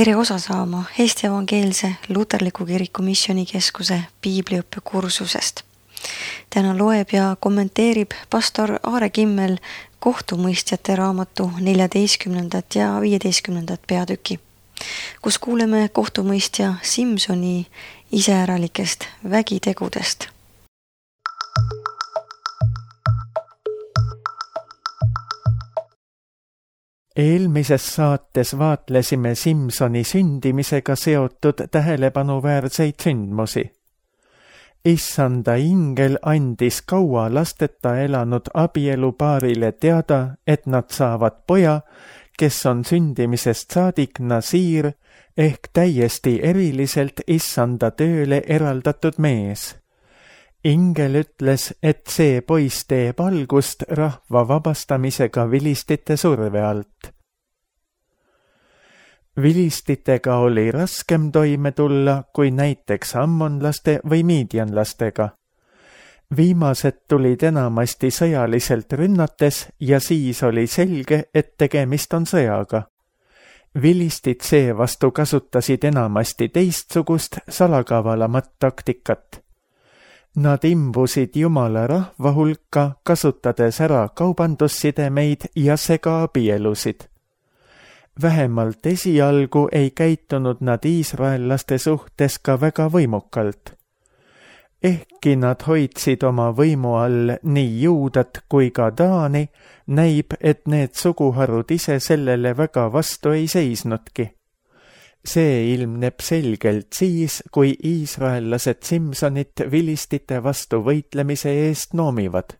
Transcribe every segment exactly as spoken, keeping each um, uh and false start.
Tere osa saama Eesti Evangeelse Luterliku Kiriku Missioonikeskuse piibliõppe kursusest. Täna loeb ja kommenteerib pastor Aare Kimmel kohtumõistjate raamatu neljateistkümnendat ja viieteistkümnendat peatüki, kus kuuleme kohtumõistja Simsoni iseäralikest vägitegudest. Eelmises saates vaatlesime Simsoni sündimisega seotud tähelepanuväärseid sündmusi. Issanda ingel andis kaua lasteta elanud abielupaarile teada, et nad saavad poja, kes on sündimisest saadik Nasiir ehk täiesti eriliselt Issanda tööle eraldatud mees. Ingel ütles, et see poiss teeb algust rahva vabastamisega vilistite surve alt. Vilistitega oli raskem toime tulla kui näiteks ammonlaste või miidjanlastega. Viimased tulid enamasti sõjaliselt rünnates ja siis oli selge, et tegemist on sõjaga. Vilistid seevastu kasutasid enamasti teistsugust salakavalamat taktikat. Nad imbusid Jumala rahva hulka, kasutades ära kaubandussidemeid ja segaabielusid. Vähemalt esialgu ei käitunud nad iisraellaste suhtes ka väga võimukalt. Ehkki nad hoidsid oma võimu all nii Juudat kui ka Taani, näib, et need suguharud ise sellele väga vastu ei seisnudki. See ilmneb selgelt siis, kui iisraellased Simsonit vilistite vastu võitlemise eest noomivad.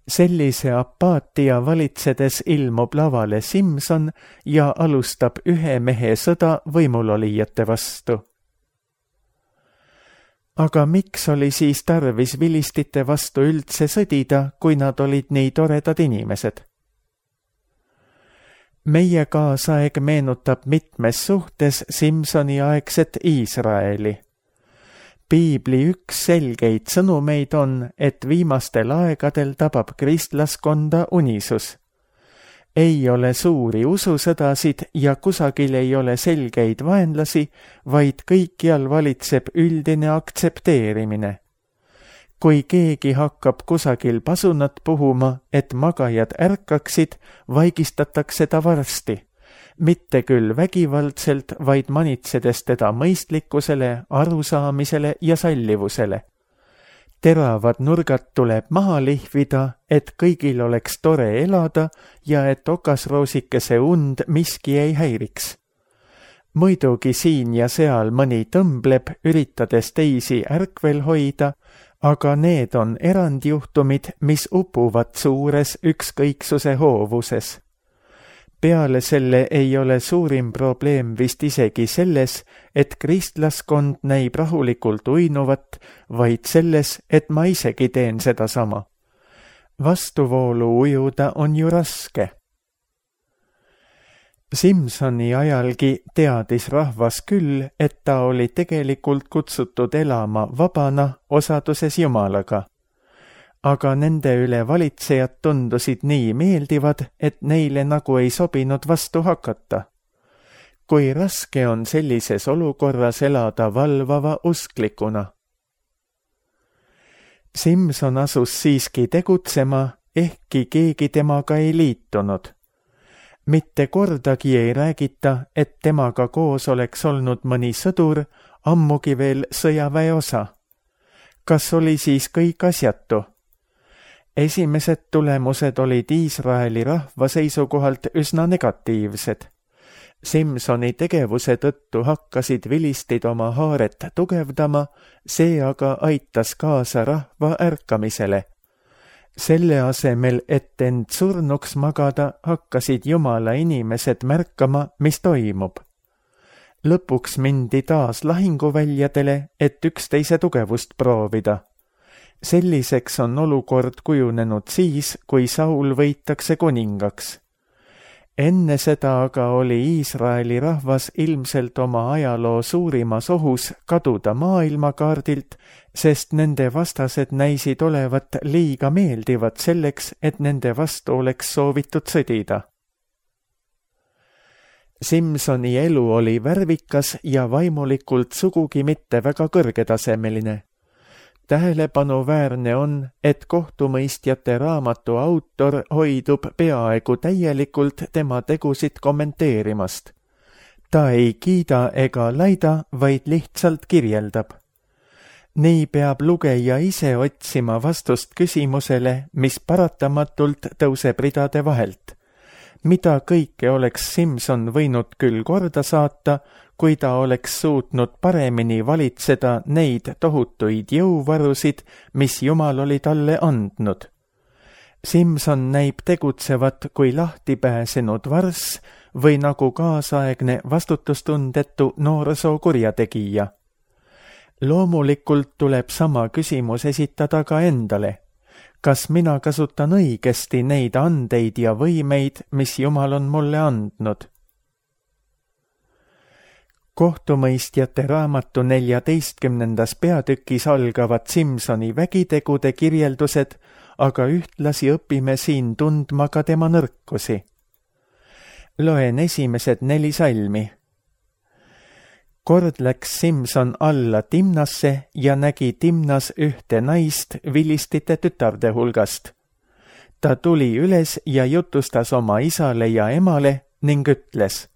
Sellise apaatia valitsedes ilmub lavale Simson ja alustab ühe mehe sõda võimulolijate vastu. Aga miks oli siis tarvis vilistite vastu üldse sõdida, kui nad olid nii toredad inimesed? Meie kaasaeg meenutab mitmes suhtes Simsoni aegset Iisraeli. Piibli üks selgeid sõnumeid on, et viimastel aegadel tabab kristlaskonda unisus. Ei ole suuri ususõdasid ja kusagil ei ole selgeid vaenlasi, vaid kõikjal valitseb üldine aktsepteerimine. Kui keegi hakkab kusagil pasunat puhuma, et magajad ärkaksid, vaigistatakse ta varsti. Mitte küll vägivaldselt, vaid manitsedes teda mõistlikkusele, arusaamisele ja sallivusele. Teravad nurgad tuleb maha lihvida, et kõigil oleks tore elada ja et okasroosikese und miski ei häiriks. Muidugi siin ja seal mõni tõmbleb, üritades teisi ärkvel hoida, aga need on erandjuhtumid, mis upuvad suures ükskõiksuse hoovuses. Peale selle ei ole suurim probleem vist isegi selles, et kristlaskond näib rahulikult uinuvat, vaid selles, et ma isegi teen seda sama. Vastuvoolu ujuda on ju raske. Simsoni ajalgi teadis rahvas küll, et ta oli tegelikult kutsutud elama vabana osaduses Jumalaga. Aga nende üle valitsejad tundusid nii meeldivad, et neile nagu ei sobinud vastu hakata. Kui raske on sellises olukorras elada valvava usklikuna. Simson asus siiski tegutsema, ehkki keegi temaga ei liitunud. Mitte kordagi ei räägita, et temaga koos oleks olnud mõni sõdur, ammugi veel sõjaväe osa. Kas oli siis kõik asjatu? Esimesed tulemused olid Iisraeli rahva seisukohalt üsna negatiivsed. Simsoni tegevuse tõttu hakkasid vilistid oma haaret tugevdama, see aga aitas kaasa rahva ärkamisele. Selle asemel, et end surnuks magada, hakkasid Jumala inimesed märkama, mis toimub. Lõpuks mindi taas lahinguväljadele, et üksteise tugevust proovida. Selliseks on olukord kujunenud siis, kui Saul võitakse kuningaks. Enne seda aga oli Iisraeli rahvas ilmselt oma ajaloo suurimas ohus kaduda maailmakaardilt, sest nende vastased näisid olevat liiga meeldivad selleks, et nende vastu oleks soovitud sõdida. Simsoni elu oli värvikas ja vaimulikult sugugi mitte väga kõrgetasemeline. Tähelepanuväärne on, et kohtumõistjate raamatu autor hoidub peaaegu täielikult tema tegusid kommenteerimast. Ta ei kiida ega laida, vaid lihtsalt kirjeldab. Nii peab lugeja ise otsima vastust küsimusele, mis paratamatult tõuseb ridade vahelt. Mida kõike oleks Simson võinud küll korda saata, kui ta oleks suutnud paremini valitseda neid tohutuid jõuvarusid, mis Jumal oli talle andnud. Simson näib tegutsevat kui lahti pääsenud varss või nagu kaasaegne vastutustundetu noorsoo kurjategija. Loomulikult tuleb sama küsimus esitada ka endale. Kas mina kasutan õigesti neid andeid ja võimeid, mis Jumal on mulle andnud? Kohtumõistjate raamatu neljateistkümnendas peatükis algavad Simsoni vägitegude kirjeldused, aga ühtlasi õpime siin tundma ka tema nõrkusi. Loen esimesed neli salmi. Kord läks Simson alla Timnasse ja nägi Timnas ühte naist vilistite tütarde hulgast. Ta tuli üles ja jutustas oma isale ja emale ning ütles: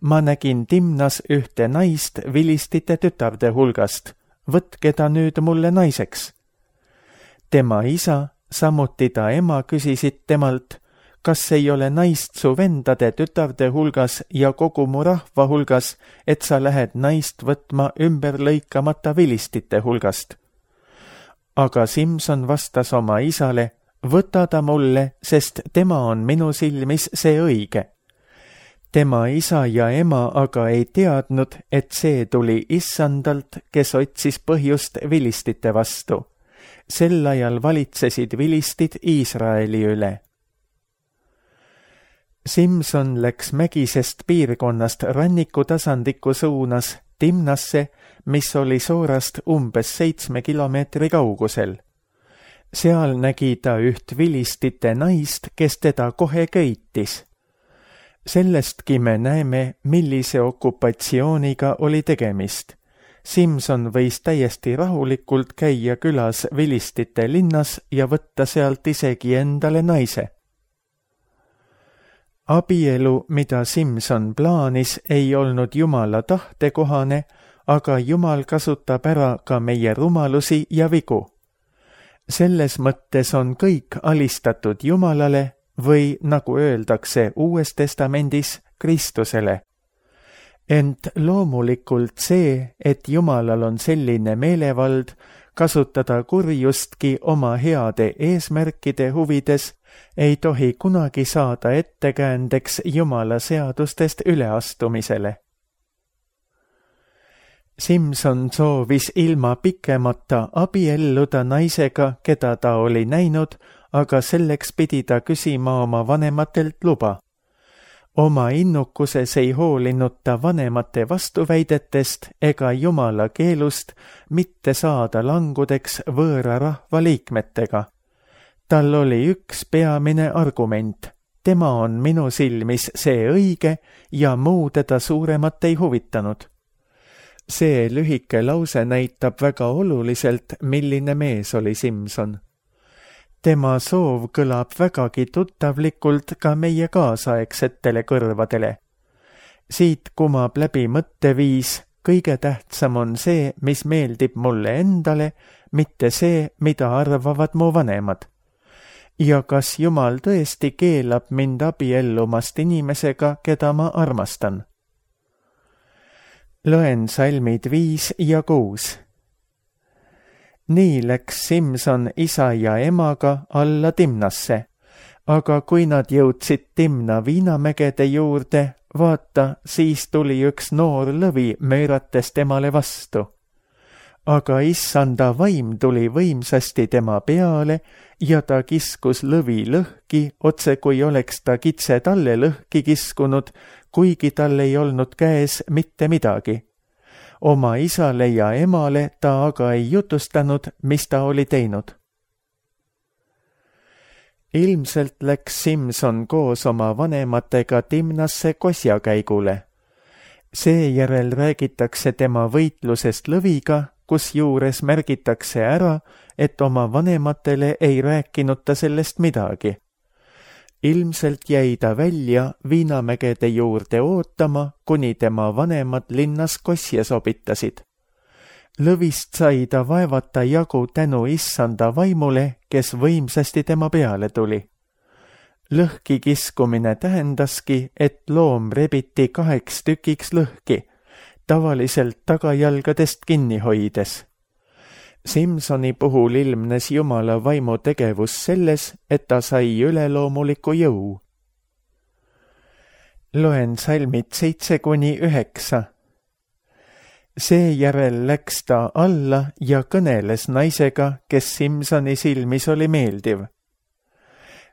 ma nägin Timnas ühte naist vilistite tütarde hulgast, võtke ta nüüd mulle naiseks. Tema isa, samuti ta ema küsisid temalt: kas ei ole naist su vendade tütarde hulgas ja kogu mu rahva hulgas, et sa lähed naist võtma ümber lõikamata vilistite hulgast? Aga Simson vastas oma isale: võta ta mulle, sest tema on minu silmis see õige. Tema isa ja ema aga ei teadnud, et see tuli Issandalt, kes otsis põhjust vilistite vastu. Sel ajal valitsesid vilistid Iisraeli üle. Simson läks mägisest piirkonnast rannikutasandikku suunas Timnasse, mis oli Soorast umbes seitsme kilomeetri kaugusel. Seal nägi ta üht vilistite naist, kes teda kohe köitis. Sellestki me näeme, millise okupatsiooniga oli tegemist. Simson võis täiesti rahulikult käia külas vilistite linnas ja võtta sealt isegi endale naise. Abielu, mida Simson plaanis, ei olnud Jumala tahtekohane, aga Jumal kasutab ära ka meie rumalusi ja vigu. Selles mõttes on kõik alistatud Jumalale või, nagu öeldakse Uues Testamendis, Kristusele. Ent loomulikult see, et Jumalal on selline meelevald kasutada kurjustki oma heade eesmärkide huvides, ei tohi kunagi saada ettekäändeks Jumala seadustest üleastumisele. Simson soovis ilma pikemata abielluda naisega, keda ta oli näinud, aga selleks pidi ta küsima oma vanematelt luba. Oma innukuses ei hoolinud ta vanemate vastuväidetest ega Jumala keelust mitte saada langudeks võõra rahva liikmetega. Tal oli üks peamine argument: tema on minu silmis see õige ja muu teda suuremat ei huvitanud. See lühike lause näitab väga oluliselt, milline mees oli Simson. Tema soov kõlab vägagi tuttavlikult ka meie kaasaegsetele kõrvadele. Siit kumab läbi mõtteviis: kõige tähtsam on see, mis meeldib mulle endale, mitte see, mida arvavad mu vanemad. Ja kas Jumal tõesti keelab mind abiellumast inimesega, keda ma armastan? Loen salmid viis ja kuus. Nii läks Simson isa ja emaga alla Timnasse, aga kui nad jõudsid Timna viinamägede juurde, vaata, siis tuli üks noor lõvi möörates temale vastu. Aga issanda vaim tuli võimsasti tema peale ja ta kiskus lõvi lõhki, otse kui oleks ta kitse talle lõhki kiskunud, kuigi tal ei olnud käes mitte midagi. Oma isale ja emale ta aga ei jutustanud, mis ta oli teinud. ilmselt läks Simson koos oma vanematega Timnasse kosjakäigule. Seejärel räägitakse tema võitlusest lõviga, kusjuures märgitakse ära, et oma vanematele ei rääkinud ta sellest midagi. Ilmselt jäi ta välja Viinamägede juurde ootama, kuni tema vanemad linnas kosja sobitasid. Lõvist sai ta vaevata jagu tänu issanda vaimule, kes võimsasti tema peale tuli. Lõhki kiskumine tähendaski, et loom rebiti kaheks tükiks lõhki, tavaliselt tagajalgadest kinni hoides. Simsoni puhul ilmnes Jumala vaimu tegevus selles, et ta sai üleloomuliku jõu. Loen salmid seitse kuni üheksa. Seejärel läks ta alla ja kõneles naisega, kes Simsoni silmis oli meeldiv.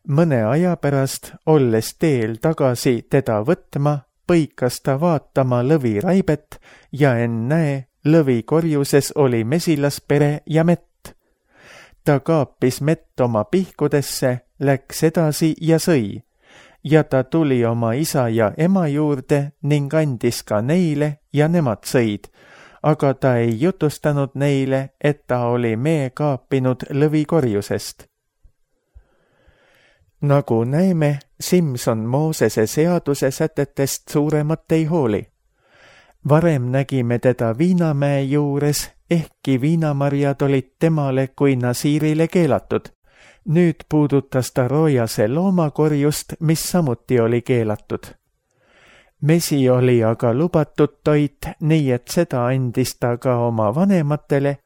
Mõne aja pärast, olles teel tagasi teda võtma, põikas ta vaatama lõviraibet ja ennäe, lõvi korjuses oli mesilaspere ja mett. Ta kaapis mett oma pihkudesse, läks edasi ja sõi, ja ta tuli oma isa ja ema juurde ning andis ka neile ja nemad sõid, aga ta ei jutustanud neile, et ta oli mee kaapinud lõvi korjusest. Nagu näeme, Simson Moosese seaduse sätetest suuremat ei hooli. Varem nägime teda Viinamäe juures, ehkki viinamarjad olid temale kui nasiirile keelatud. Nüüd puudutas ta roojase loomakorjust, mis samuti oli keelatud. Mesi oli aga lubatud toit, nii et seda andis ta ka oma vanematele,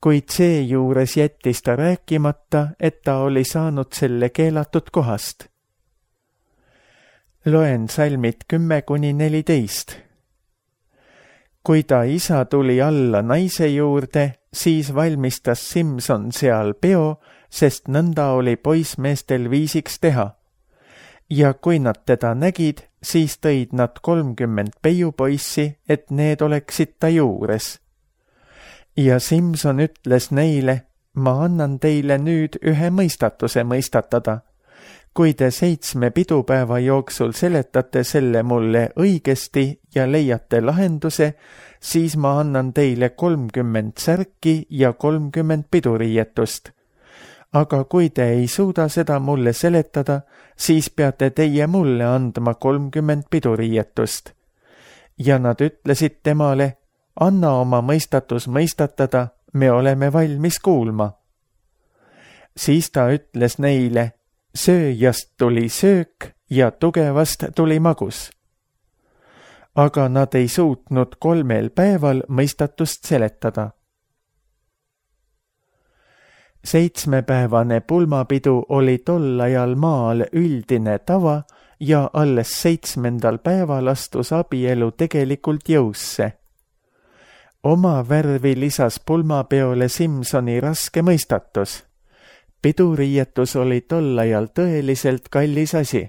kuid seejuures jättis ta rääkimata, et ta oli saanud selle keelatud kohast. Loen salmid kümme kuni neliteist. Kui ta isa tuli alla naise juurde, siis valmistas Simson seal peo, sest nõnda oli poissmeestel viisiks teha. Ja kui nad teda nägid, siis tõid nad kolmkümmend peiupoissi, et need oleksid ta juures. Ja Simson ütles neile, ma annan teile nüüd ühe mõistatuse mõistatada. Kui te seitsme pidupäeva jooksul seletate selle mulle õigesti ja leiate lahenduse, siis ma annan teile kolmkümmend särki ja kolmkümmend piduriietust. Aga kui te ei suuda seda mulle seletada, siis peate teie mulle andma kolmkümmend piduriietust. Ja nad ütlesid temale, anna oma mõistatus mõistatada, me oleme valmis kuulma. Siis ta ütles neile, sööjast tuli söök ja tugevast tuli magus. Aga nad ei suutnud kolmel päeval mõistatust seletada. Seitsmepäevane pulmapidu oli tol ajal maal üldine tava ja alles seitsmendal päeval astus abielu tegelikult jõusse. Oma värvi lisas pulmapeole Simsoni raske mõistatus. Piduriietus oli tol ajal tõeliselt kallis asi.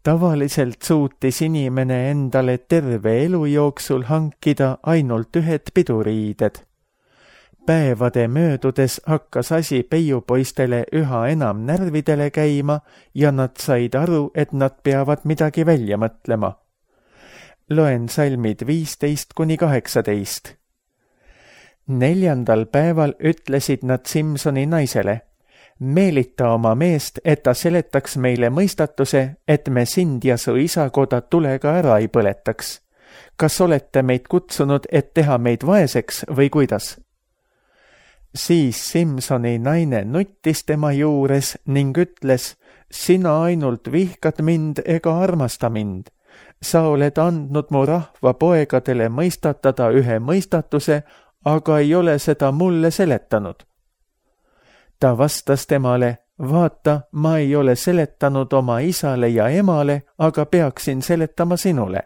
Tavaliselt suutis inimene endale terve elu jooksul hankida ainult ühed piduriided. Päevade möödudes hakkas asi peiupoistele üha enam närvidele käima ja nad said aru, et nad peavad midagi välja mõtlema. Loen salmid viisteist kuni kaheksateist. Neljandal päeval ütlesid nad Simsoni naisele, meelita oma meest, et ta seletaks meile mõistatuse, et me sind ja su isakoda tulega ära ei põletaks. Kas olete meid kutsunud, et teha meid vaeseks või kuidas? Siis Simsoni naine nuttis tema juures ning ütles, sina ainult vihkad mind ega armasta mind. Sa oled andnud mu rahva poegadele mõistatada ühe mõistatuse, aga ei ole seda mulle seletanud. Ta vastas temale, vaata, ma ei ole seletanud oma isale ja emale, aga peaksin seletama sinule.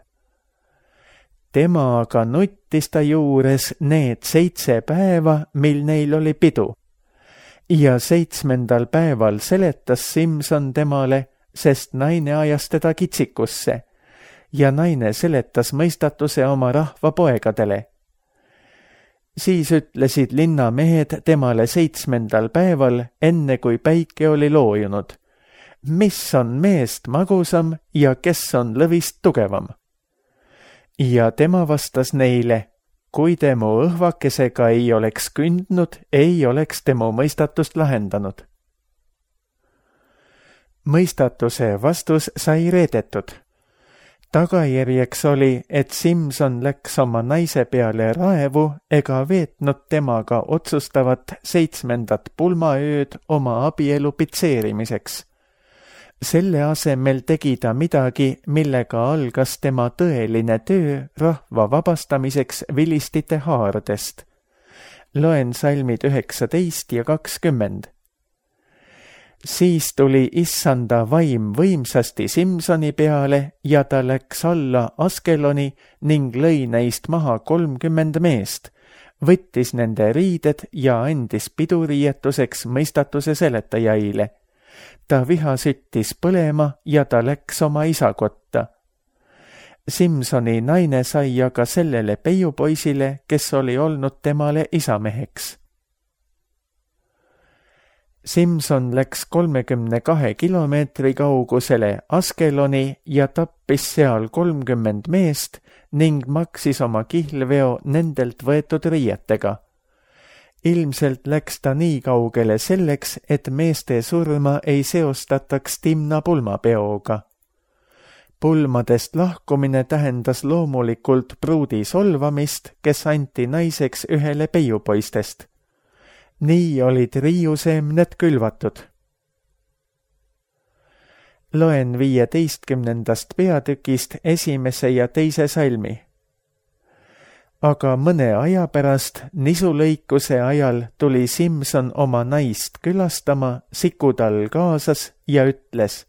Tema aga nuttis ta juures need seitse päeva, mil neil oli pidu. Ja seitsmendal päeval seletas Simson temale, sest naine ajas teda kitsikusse. Ja naine seletas mõistatuse oma rahva poegadele. Siis ütlesid linnamehed temale seitsmendal päeval, enne kui päike oli loojunud. mis on meest magusam ja kes on lõvist tugevam. Ja tema vastas neile, kui temu õhvakesega ei oleks kündnud, ei oleks temu mõistatust lahendanud. Mõistatuse vastus sai reedetud. Tagajärjeks oli, et Simson läks oma naise peale raevu ega veetnud temaga otsustavat seitsmendat pulmaööd oma abielu pitseerimiseks. Selle asemel tegi ta midagi, millega algas tema tõeline töö rahva vabastamiseks vilistite haardest. Loen salmid üheksateist ja kakskümmend. Siis tuli issanda vaim võimsasti Simsoni peale ja ta läks alla Askeloni ning lõi neist maha kolmkümmend meest, võttis nende riided ja andis piduriietuseks mõistatuse seletajaile. Ta viha süttis põlema ja ta läks oma isa kotta. Simsoni naine sai aga sellele peiupoisile, kes oli olnud temale isameheks. Simson läks kolmekümne kahe kilomeetri kaugusele Askeloni ja tappis seal kolmkümmend meest ning maksis oma kihlveo nendelt võetud riietega. Ilmselt läks ta nii kaugele selleks, et meeste surma ei seostataks Timna pulmapeoga. Pulmadest lahkumine tähendas loomulikult pruudi solvamist, kes anti naiseks ühele peiupoistest. Nii olid riiuseemned külvatud. Loen viieteistkümnendast peatükist esimese ja teise salmi. Aga mõne aja pärast nisulõikuse ajal tuli Simson oma naist külastama, sikutal kaasas ja ütles,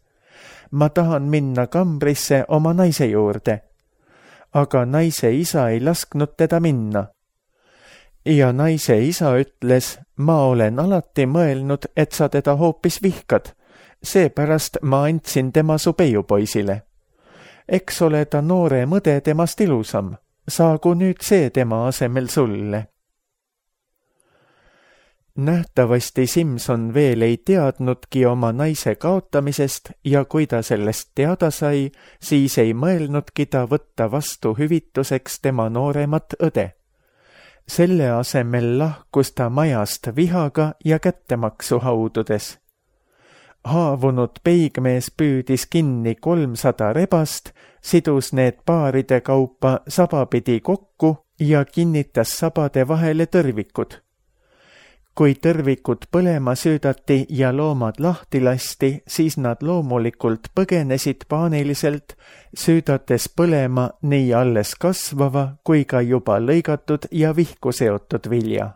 ma tahan minna kambrisse oma naise juurde. Aga naise isa ei lasknud teda minna. Ja naise isa ütles, ma olen alati mõelnud, et sa teda hoopis vihkad, seepärast ma andsin tema su peiupoisile. Eks ole ta noore mõde temast ilusam, saagu nüüd see tema asemel sulle. Nähtavasti Simson veel ei teadnudki oma naise kaotamisest ja kui ta sellest teada sai, siis ei mõelnudki ta võtta vastu hüvituseks tema nooremat õde. Selle asemel lahkus ta majast vihaga ja kättemaksu haududes. Haavunud peigmees püüdis kinni kolmsada rebast, sidus need paaride kaupa sabapidi kokku ja kinnitas sabade vahele tõrvikud. Kui tõrvikud põlema süüdati ja loomad lahti lasti, siis nad loomulikult põgenesid paaniliselt, süüdates põlema nii alles kasvava kui ka juba lõigatud ja vihku seotud vilja.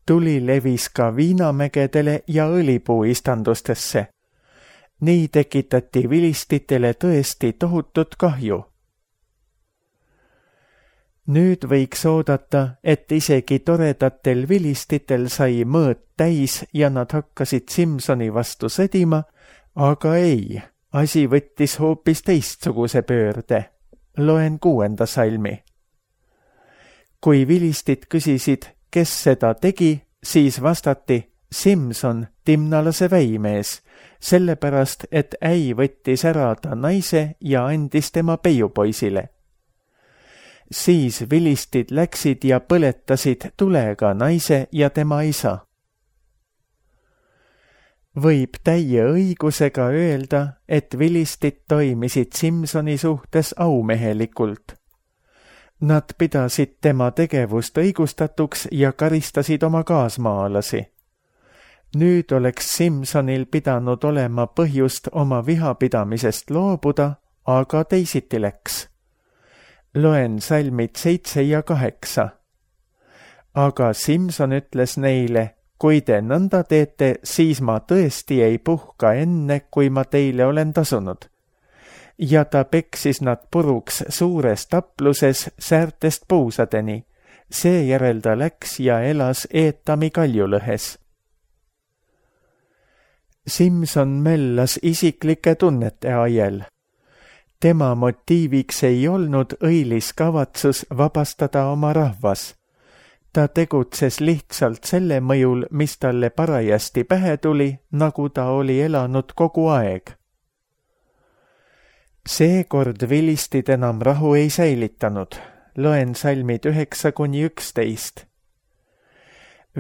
Tuli levis ka viinamägedele ja õlipuu istandustesse. Nii tekitati vilistitele tõesti tohutut kahju. Nüüd võiks oodata, et isegi toredatel vilistitel sai mõõt täis ja nad hakkasid Simsoni vastu sõdima, aga ei, asi võttis hoopis teistsuguse pöörde. Loen kuuenda salmi. Kui vilistid küsisid, kes seda tegi, siis vastati Simson, timnalase väimees, sellepärast, et äi võttis ära ta naise ja andis tema peiupoisile. Siis vilistid läksid ja põletasid tulega naise ja tema isa. Võib täie õigusega öelda, et vilistid toimisid Simsoni suhtes aumehelikult. Nad pidasid tema tegevust õigustatuks ja karistasid oma kaasmaalasi. Nüüd oleks Simsonil pidanud olema põhjust oma vihapidamisest loobuda, aga teisiti läks. Loen salmid seitse ja kaheksa. Aga Simson ütles neile, kui te nõnda teete, siis ma tõesti ei puhka enne, kui ma teile olen tasunud. Ja ta peksis nad puruks suures tapluses säärtest puusadeni. Seejärel ta läks ja elas Eetami kaljulõhes. Simson möllas isiklike tunnete ajel. Tema motiiviks ei olnud õilis kavatsus vabastada oma rahvas. Ta tegutses lihtsalt selle mõjul, mis talle parajasti pähe tuli, nagu ta oli elanud kogu aeg. Seekord vilistid enam rahu ei säilitanud. Loen salmid üheksa kuni üksteist.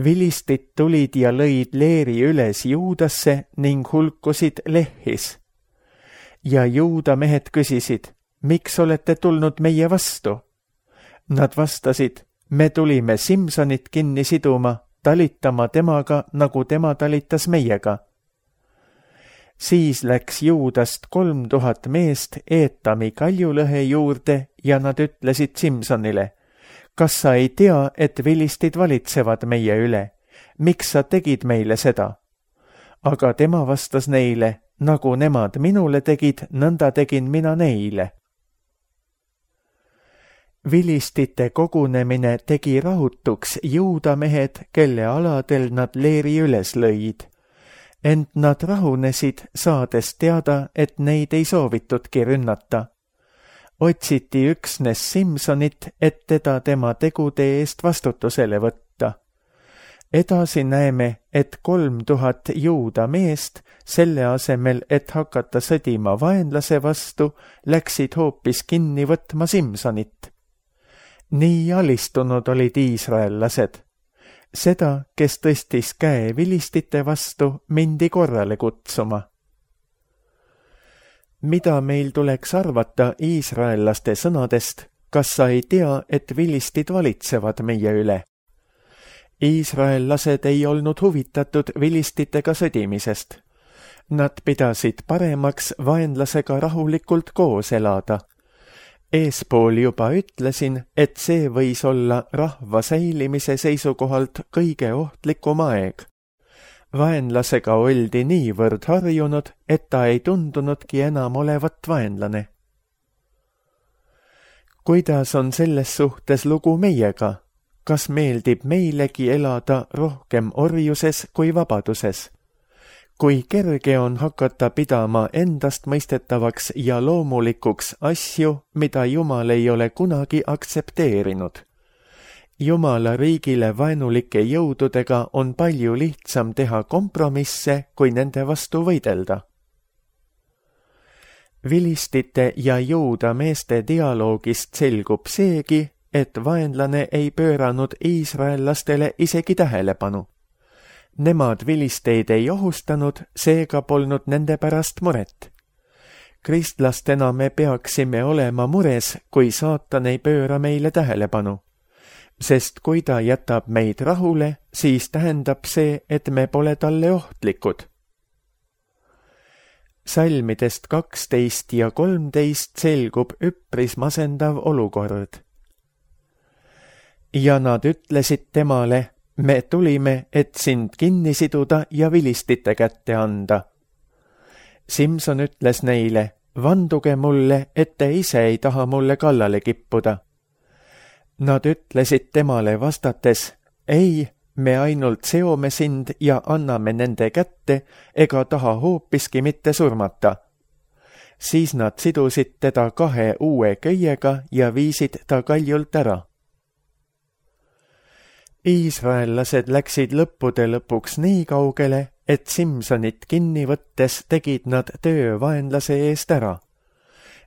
Vilistid tulid ja lõid leeri üles Juudasse ning hulkusid Lehhis. Ja Juuda mehed küsisid, miks olete tulnud meie vastu? Nad vastasid, me tulime Simsonit kinni siduma, talitama temaga, nagu tema talitas meiega. Siis läks Juudast kolm tuhat meest Eetami kaljulõhe juurde ja nad ütlesid Simsonile, kas sa ei tea, et vilistid valitsevad meie üle? Miks sa tegid meile seda? Aga tema vastas neile, nagu nemad minule tegid, nõnda tegin mina neile. Vilistite kogunemine tegi rahutuks Juuda mehed, kelle aladel nad leeri üles lõid. Ent nad rahunesid, saades teada, et neid ei soovitudki rünnata. Otsiti üksnes Simsonit, et teda tema tegude eest vastutusele võtta. Edasi näeme, et kolm tuhat Juuda meest, selle asemel, et hakata sõdima vaenlase vastu, läksid hoopis kinni võtma Simsonit. Nii alistunud olid iisraellased. Seda, kes tõstis käe vilistite vastu, mindi korrale kutsuma. Mida meil tuleks arvata iisraellaste sõnadest, kas sa ei tea, et vilistid valitsevad meie üle? Iisraellased ei olnud huvitatud vilistitega sõdimisest. Nad pidasid paremaks vaenlasega rahulikult koos elada. Eespool juba ütlesin, et see võis olla rahva säilimise seisukohalt kõige ohtlikum aeg. Vaenlasega oldi niivõrd harjunud, et ta ei tundunudki enam olevat vaenlane. Kuidas on selles suhtes lugu meiega? Kas meeldib meilegi elada rohkem orjuses kui vabaduses? Kui kerge on hakata pidama endast mõistetavaks ja loomulikuks asju, mida Jumal ei ole kunagi aktsepteerinud. Jumala riigile vaenulike jõududega on palju lihtsam teha kompromisse, kui nende vastu võidelda. Vilistite ja Juuda meeste dialoogist selgub seegi, et vaenlane ei pööranud iisraellastele isegi tähelepanu. Nemad vilisteid ei ohustanud, seega polnud nende pärast muret. Kristlastena me peaksime olema mures, kui saatan ei pööra meile tähelepanu. Sest kui ta jätab meid rahule, siis tähendab see, et me pole talle ohtlikud. Salmidest kaksteist ja kolmteist selgub üpris masendav olukord. Ja nad ütlesid temale, me tulime, et sind kinni siduda ja vilistite kätte anda. Simson ütles neile, vanduge mulle, et te ise ei taha mulle kallale kippuda. Nad ütlesid temale vastates, ei, me ainult seome sind ja anname nende kätte, ega taha hoopiski mitte surmata. Siis nad sidusid teda kahe uue köiega ja viisid ta kaljult ära. Iisraellased läksid lõppude lõpuks nii kaugele, et Simsonit kinni võttes tegid nad töö vaenlase eest ära.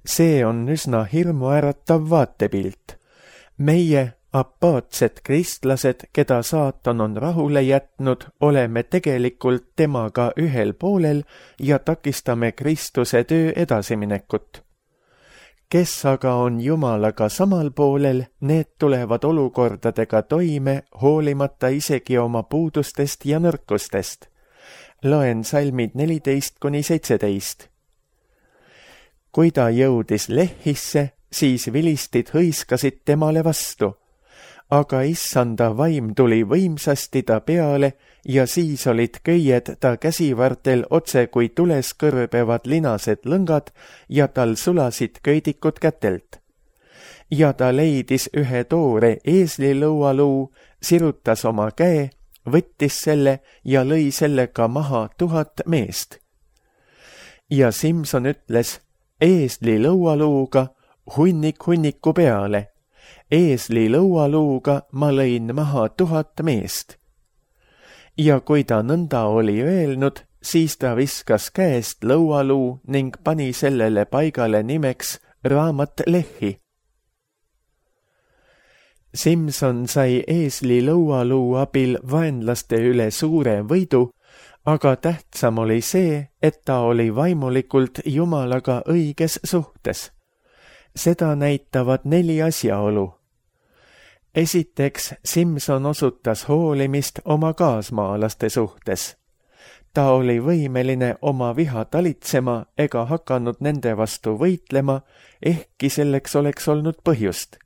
See on üsna hirmuäratav vaatepilt. Meie, apaatsed kristlased, keda saatan on rahule jätnud, oleme tegelikult temaga ühel poolel ja takistame Kristuse töö edasiminekut. Kes aga on Jumalaga samal poolel, need tulevad olukordadega toime, hoolimata isegi oma puudustest ja nõrkustest. Loen salmid neliteist kuni seitseteist. Kui ta jõudis Lehhisse, siis vilistid hõiskasid temale vastu. Aga issanda vaim tuli võimsasti ta peale ja siis olid köied ta käsivartel otse kui tules kõrbevad linased lõngad ja tal sulasid köidikud kätelt. Ja ta leidis ühe toore eeslilõualuu, sirutas oma käe, võttis selle ja lõi sellega maha tuhat meest. Ja Simson ütles, eeslilõualuuga hunnik hunniku peale. eesli lõualuuga ma lõin maha tuhat meest. Ja kui ta nõnda oli öelnud, siis ta viskas käest lõualuu ning pani sellele paigale nimeks raamat Lehi. Simson sai eesli lõualuu abil vaenlaste üle suure võidu, aga tähtsam oli see, et ta oli vaimulikult Jumalaga õiges suhtes. Seda näitavad neli asjaolu. Esiteks, Simson osutas hoolimist oma kaasmaalaste suhtes. Ta oli võimeline oma viha talitsema ega hakanud nende vastu võitlema, ehkki selleks oleks olnud põhjust.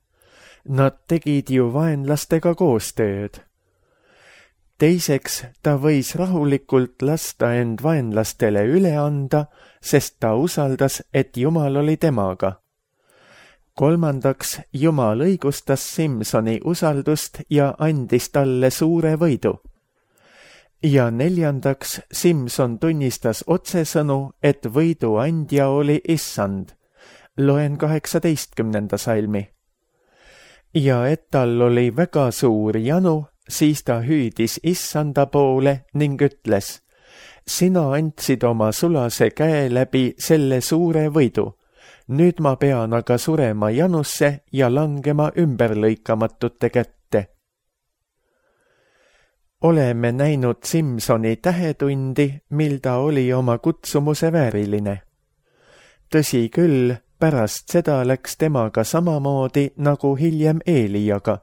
Nad tegid ju vaenlastega koostööd. Teiseks, ta võis rahulikult lasta end vaenlastele üle anda, sest ta usaldas, et Jumal oli temaga. Kolmandaks, Jumal õigustas Simsoni usaldust ja andis talle suure võidu. Ja neljandaks, Simson tunnistas otsesõnu, et võidu andja oli Issand. Loen kaheksateistkümnenda salmi. Ja et tal oli väga suur janu, siis ta hüüdis Issanda poole ning ütles, sina andsid oma sulase käe läbi selle suure võidu. Nüüd ma pean aga surema janusse ja langema ümberlõikamatute kätte. Oleme näinud Simsoni tähetundi, mil ta oli oma kutsumuse vääriline. Tõsi küll, pärast seda läks temaga samamoodi nagu hiljem Eeliaga.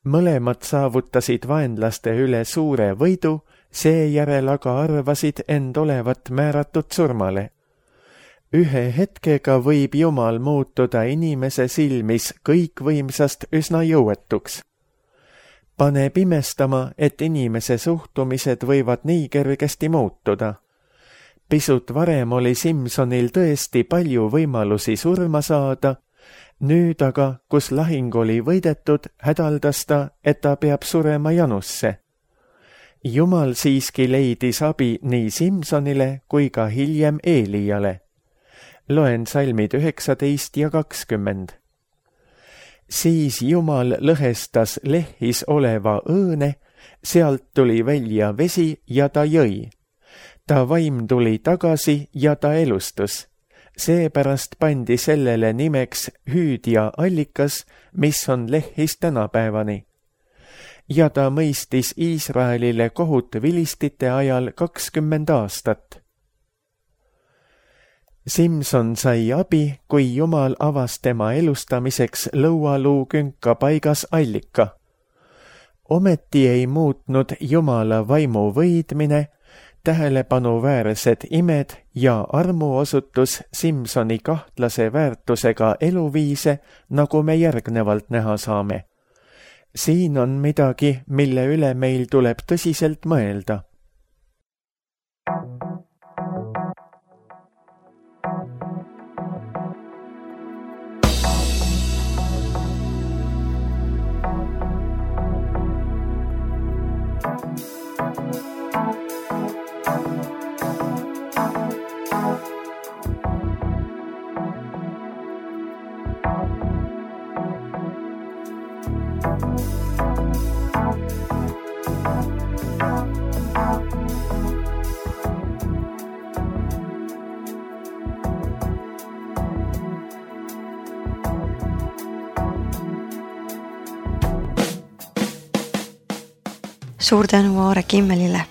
Mõlemad saavutasid vaenlaste üle suure võidu, seejärel aga arvasid end olevat määratud surmale. Ühe hetkega võib Jumal muutuda inimese silmis kõikvõimsast üsna jõuetuks. Paneb imestama, et inimese suhtumised võivad nii kergesti muutuda. Pisut varem oli Simsonil tõesti palju võimalusi surma saada, nüüd aga, kus lahing oli võidetud, hädaldas ta, et ta peab surema janusse. Jumal siiski leidis abi nii Simsonile kui ka hiljem Eeliale. Loen salmid üheksateist ja kakskümmend. Siis Jumal lõhestas Lehis oleva õõne, sealt tuli välja vesi ja ta jõi. Ta vaim tuli tagasi ja ta elustus. Seepärast pandi sellele nimeks hüüdja allikas, mis on Lehis tänapäevani. Ja ta mõistis Iisraelile kohut vilistite ajal kakskümmend aastat. Simson sai abi, kui Jumal avas tema elustamiseks lõualuu künka paigas allika. Ometi ei muutnud Jumala vaimu võidmine, tähelepanuväärsed imed ja armuosutus Simsoni kahtlase väärtusega eluviise, nagu me järgnevalt näha saame. Siin on midagi, mille üle meil tuleb tõsiselt mõelda. Suur tänu Aare Kimmelile.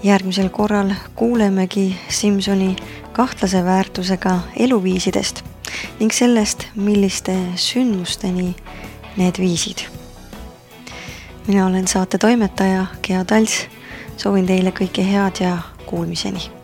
Järgmisel korral kuulemegi Simsoni kahtlase väärtusega eluviisidest ning sellest, milliste sündmusteni need viisid. Mina olen saate toimetaja Gea Tals, soovin teile kõike head ja kuulmiseni.